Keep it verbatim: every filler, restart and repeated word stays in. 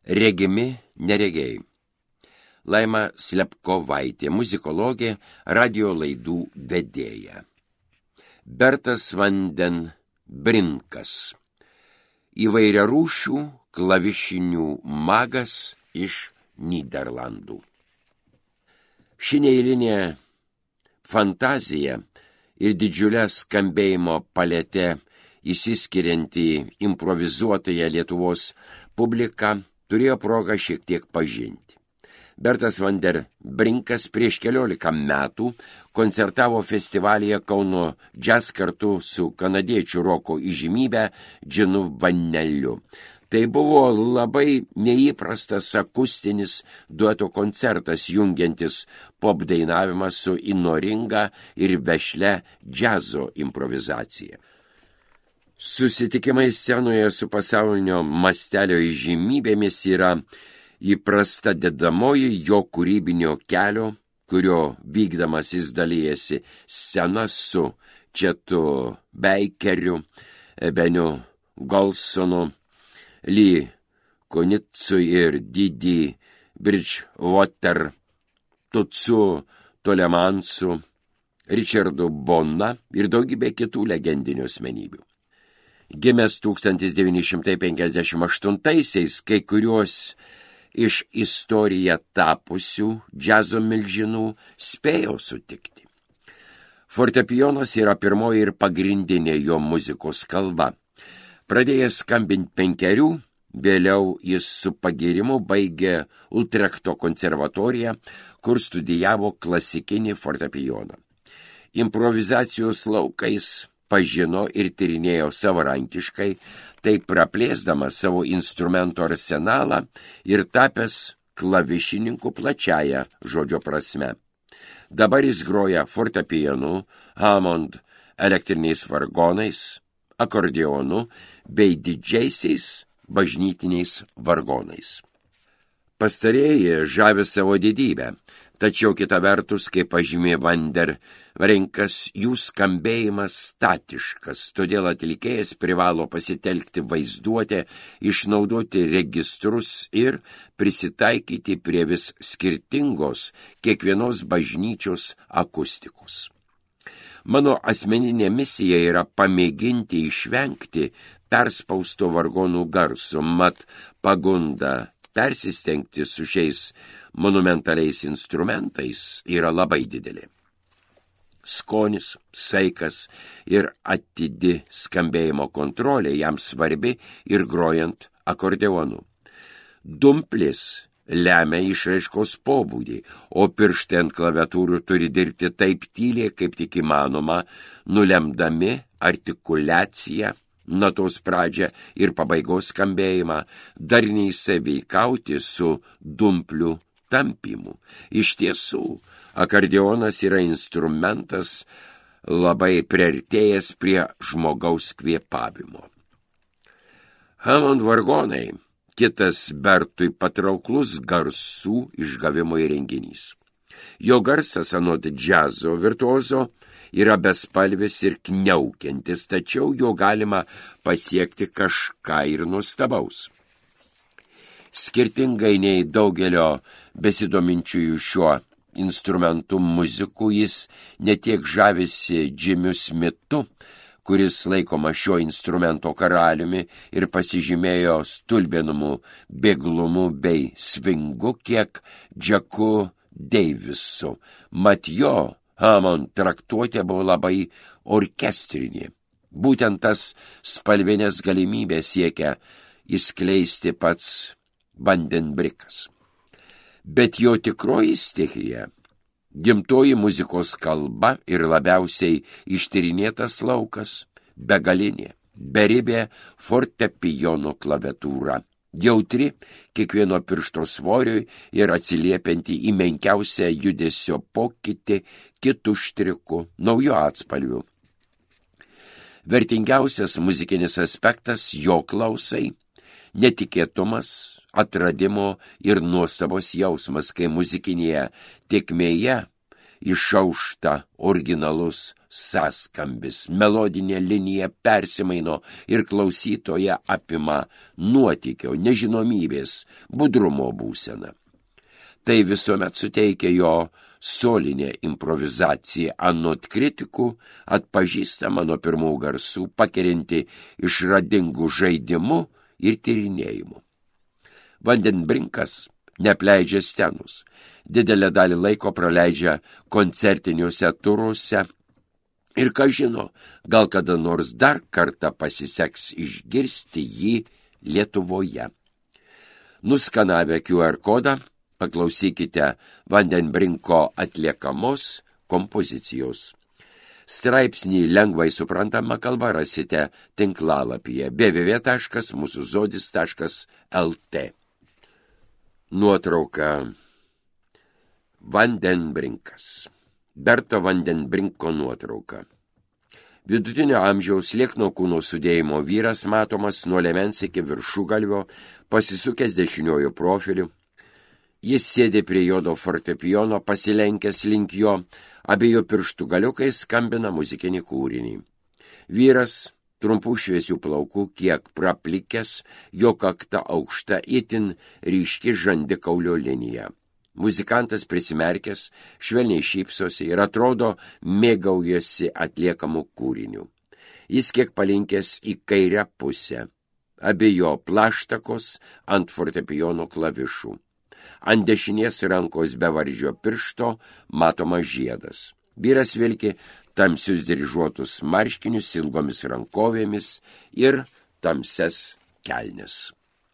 Regimi neregiai. Laima Slepkovaitė, muzikologė, radio laidų vedėja. Bertas Vanden Brinkas, įvairiarūšių klavišinių magas iš Nyderlandų. Ši neeilinė fantazija ir didžiulė skambėjimo palete įsiskirianti improvizuotąją Lietuvos publiką turėjo progą šiek tiek pažinti. Bertas Vanden Brinkas prieš keliolika metų koncertavo festivalyje Kauno Jazz kartu su kanadiečių roko įžymybe Džinu Vaneliu. Tai buvo labai neįprastas akustinis dueto koncertas, jungiantis pop dainavimą su įnoringa ir vešlia džiazo improvizacija. Susitikimai scenoje su pasaulinio mastelio įžymybėmis yra įprasta dedamoji jo kūrybinio kelio, kurio vykdamas jis dalijasi sceną su Četu Beikeriu, Beniu Golsonu, Lee Konitsu ir Didi Bridgewater, Tutsu Tolemansu, Richardu Bona ir daugybė kitų legendinių asmenybių. Gimęs tūkstantis devyni šimtai penkiasdešimt aštuntaisiais, kai kuriuos iš istoriją tapusių džiazo milžinų spėjo sutikti. Fortepijonas yra pirmoji ir pagrindinė jo muzikos kalba. Pradėjęs skambinti penkerių, vėliau jis su pagyrimu baigė Utrechto konservatoriją, kur studijavo klasikinį fortepijoną. Improvizacijos laukais pažino ir tyrinėjo savarankiškai, taip praplėsdamas savo instrumento arsenalą ir tapęs klavišininku plačiaja žodžio prasme. Dabar jis groja fortepijonu, Hammond elektriniais vargonais, akordeonu bei didžiaisiais bažnytiniais vargonais. Pastarieji žavi savo didybę, tačiau kita vertus, kaip pažymė Vanden Brinkas, jų skambėjimas statiškas, todėl atlikėjas privalo pasitelkti vaizduotę, išnaudoti registrus ir prisitaikyti prie vis skirtingos kiekvienos bažnyčios akustikos. Mano asmeninė misija yra pamėginti išvengti perspausto vargonų garso, mat pagunda persistengti su šiais monumentaliais instrumentais yra labai didelė. Skonis, saikas ir atidi skambėjimo kontrolė jam svarbi ir grojant akordeonu. Dumplis lemia išraiškos pobūdį, o pirštai ant klaviatūrų turi dirbti taip tyliai, kaip tik įmanoma, nulemdami artikuliaciją, natos pradžią ir pabaigos skambėjimą, darniai sąveikauti su dumplių tampimu. Iš tiesų, akordeonas yra instrumentas labai priartėjęs prie žmogaus kvėpavimo. Hammond vargonai – kitas Bertui patrauklus garsų išgavimo įrenginys. Jo garsas anot džiazo virtuozo yra bespalvis ir kniaukiantis, tačiau jo galima pasiekti kažką ir nuostabaus. Skirtingai nei daugelio besidominčiųjų šiuo instrumentų muzikų, jis ne tiek žavisi Jimiu Smithu, kuris laikoma šio instrumento karaliumi ir pasižymėjo stulbinamu bėglumu bei svingu, kiek Jacku Davisu. Mat jo Hammond traktuotė buvo labai orkestrinė. Būtent tas spalvinės galimybės siekia įskleisti pats Vanden Brinkas. Bet jo tikroji stichija, gimtoji muzikos kalba ir labiausiai ištyrinėtas laukas, begalinė, beribė fortepijono klaviatūra, jautri kiekvieno piršto svoriui ir atsiliepianti į menkiausią judesio pokytį kitų štrikų, naujų atspalvių. Vertingiausias muzikinis aspektas jo klausai, netikėtumas, atradimo ir nuostabos jausmas, kai muzikinėje tėkmėje išaušta originalus sąskambis, melodinė linija persimaino ir klausytoje apima nuotykio, nežinomybės, budrumo būseną. Tai visuomet suteikia jo solinė improvizacija, anot kritikų atpažįstama nuo pirmų garsų, pakerinti išradingų žaidimų ir tyrinėjimų. Vandenbrinkas neapleidžia scenus, didelę dalį laiko praleidžia koncertiniuose turuose ir, ką žino, gal kada nors dar kartą pasiseks išgirsti jį Lietuvoje. Nuskanavę Q R kodą, paklausykite Vandenbrinko atliekamos kompozicijos. Straipsnį lengvai suprantama kalba rasite tinklalapyje w w w taškas mūsų žodis taškas l t. Nuotrauka Vandenbrinkas. Berto Vandenbrinko nuotrauka. Vidutinio amžiaus liekno kūno sudėjimo vyras matomas nuo liemens iki viršugalvio, pasisukęs dešiniuoju profiliu. Jis sėdi prie juodo fortepijono, pasilenkęs link jo, abiejų pirštų galiukais skambina muzikinį kūrinį. Vyras, trumpų šviesių plaukų, kiek praplikęs, jo kakta aukšta, itin ryški žandikaulio linija. Muzikantas prisimerkęs, švelniai šypsosi ir atrodo mėgaujasi atliekamų kūrinių. Jis kiek palinkęs į kairę pusę, abiejų plaštakos ant fortepijono klavišų. Ant dešinės rankos bevardžio piršto matomas žiedas. Vyras vilki tamsius dryžuotus marškinius ilgomis rankovėmis ir tamsias kelnes.